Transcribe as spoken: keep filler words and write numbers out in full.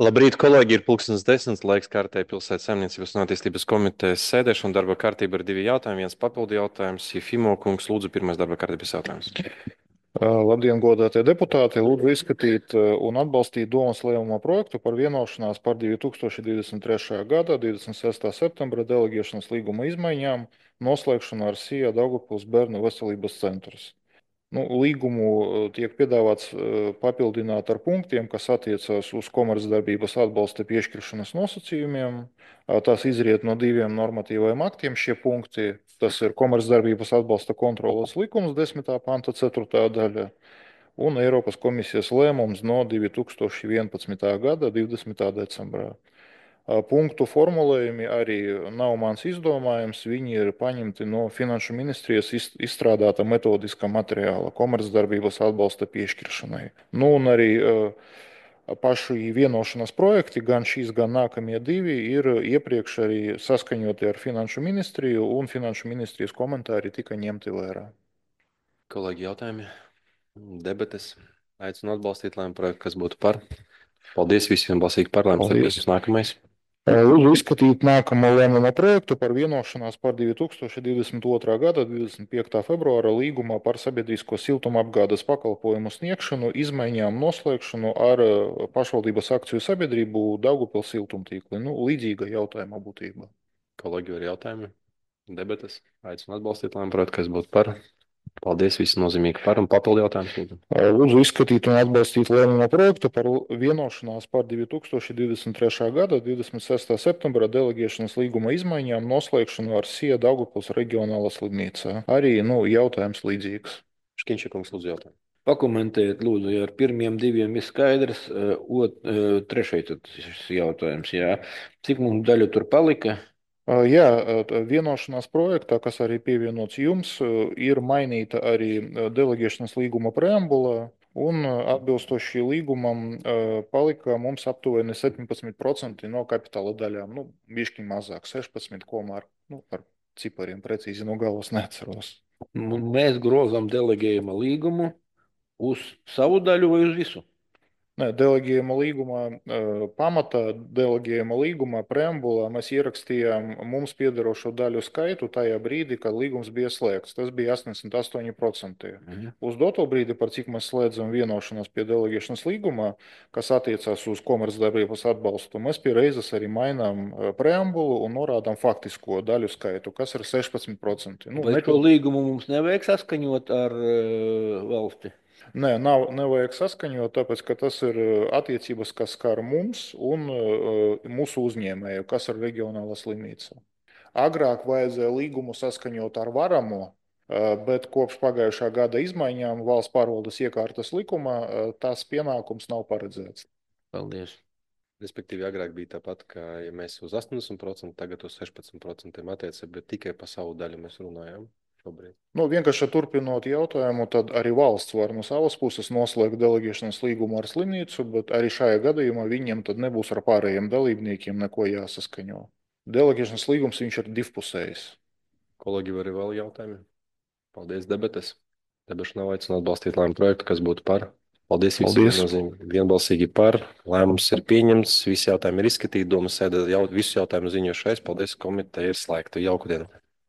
Labrīt, kolēģi! Ir pulkstens desmit, laiks kārtēji Pilsētas saimniecības un attīstības komitejas sēdēšana. Darba kārtība ir divi jautājumi, viens papildu jautājums. Jefimo kungs, lūdzu, pirmais darba kārtības jautājums. Uh, Labdien, godātie deputāti! Lūdzu izskatīt uh, un atbalstīt Domas lēmuma projektu par vienošanās par divi tūkstoši divdesmit trešā gada divdesmit sestā septembra deleģēšanas līguma izmaiņām noslēgšanu ar SIA Daugavpils bērnu veselības centrus. Nu, līgumu uh, tiek piedāvāts uh, papildināt ar punktiem, kas attiecās uz komercdarbības atbalsta piešķiršanas nosacījumiem. Uh, Tas izriet no diviem normatīviem aktiem. Šie punkti, tas ir komercdarbības atbalsta kontrolas likums, desmitā panta ceturtā daļa, un Eiropas komisijas lēmums no divi tūkstoši vienpadsmitā gada divdesmitā decembrā. Punktu formulējumi arī nav mans izdomājums. Viņi ir paņemti no Finanšu ministrijas izstrādāta metodiskā materiāla komercdarbības atbalsta piešķiršanai. Nu, un arī paši vienošanās projekti, gan šīs, gan nākamie divi, ir iepriekš arī saskaņoti ar Finanšu ministriju, un Finanšu ministrijas komentāri tika ņemti vērā. Kolēģi, jautājumi, debates. Aicinu atbalstīt lēmumu projektu, kas būtu par. Paldies visiem, balsīgi par lēmumu. Paldies! Nākamais. Lūdzu izskatīt nākamo lēmuma projektu par vienošanās par divi tūkstoši divdesmit otrā gada divdesmit piektā februāra līgumā par sabiedrisko siltumapgādes pakalpojumu sniegšanu, izmaiņām, noslēgšanu ar pašvaldības akciju sabiedrību Daugavpils siltumtīkli. Nu, līdzīga jautājuma būtība. Kolēģi, ir jautājumi, debates. Aicinu atbalstīt lēmumu projektu, kas būtu par. Paldies, visi nozīmīgi par un papildu jautājums. Lūdzu izskatīt un atbalstīt lēmuma projektu par vienošanās par divi tūkstoši divdesmit trešā gada divdesmit sestā septembra deleģēšanas līguma izmaiņām, noslēgšanu ar SIA Daugavpils reģionālā slimnīcā. Arī nu, jautājums līdzīgs. Škiņšakungs, lūdzu jautājumu. Pakomentēt, lūdzu, ja ar pirmiem diviem ir skaidrs, ot, trešais tad šis jautājums, jā. Cik mums daļu tur palika? Jā, vienošanās projektā, kas arī pievienots jums, ir mainīta arī deleģēšanas līguma preambula, un atbilstoši līgumam palika mums aptuveni septiņpadsmit procenti no kapitāla daļām. Nu, bišķi mazāk, sešpadsmit komā ar, nu, ar cipariem precīzi no galvas neatceros. Mēs grozam deleģējuma līgumu uz savu daļu vai uz visu? Nē, deleģējuma līgumā, pamatā deleģējuma līgumā, preambulā mēs ierakstījām mums piederošo daļu skaitu tajā brīdī, kad līgums bija slēgts. Tas bija astoņdesmit astoņi procenti. Mhm. Uz doto brīdi, par cik mēs slēdzam vienošanos pie deleģēšanas līgumā, kas attiecās uz komercdarbības atbalstu, mēs pie reizes arī mainām preambulu un norādām faktisko daļu skaitu, kas ir sešpadsmit procenti. Nu, Vai šo nepil... līgumu mums nevajag saskaņot ar uh, valsti? Nē, nav, nevajag saskaņot, tāpēc, ka tas ir attiecības, kas skar mums un uh, mūsu uzņēmēju, kas ir reģionāla slimnīca. Agrāk vajadzēja līgumu saskaņot ar varamo, uh, bet kopš pagājušā gada izmaiņām valsts pārvaldes iekārtas likumā uh, tās pienākums nav paredzēts. Paldies. Respektīvi, agrāk bija tāpat, ka ja mēs uz astoņdesmit procentiem, tagad uz sešpadsmit procentiem attiecībā, bet tikai par savu daļu mēs runājam šobrīd. Nu, vienkārši turpinot jautājumu, tad arī valsts var no savas puses noslēgt deleģēšanas līgumu ar slimnīcu, bet arī šajā gadījumā viņiem tad nebūs ar pārējiem dalībniekiem neko jāsaskaņo. Deleģēšanas līgums viņš ir divpusējs. Kolēģi, vai ir vēl jautājumi? Paldies, debates. Debašu nav aicinu atbalstīt lēmumu projektu, kas būtu par. Paldies, visi viennozīmīgi vienbalsīgi par. Lēmums ir pieņemts, visi jautājumi ir izskatīti. Domas sēdē jau, visu jautājumu ziņošais. Paldies, komiteja ir slēgta. Jauku dienu.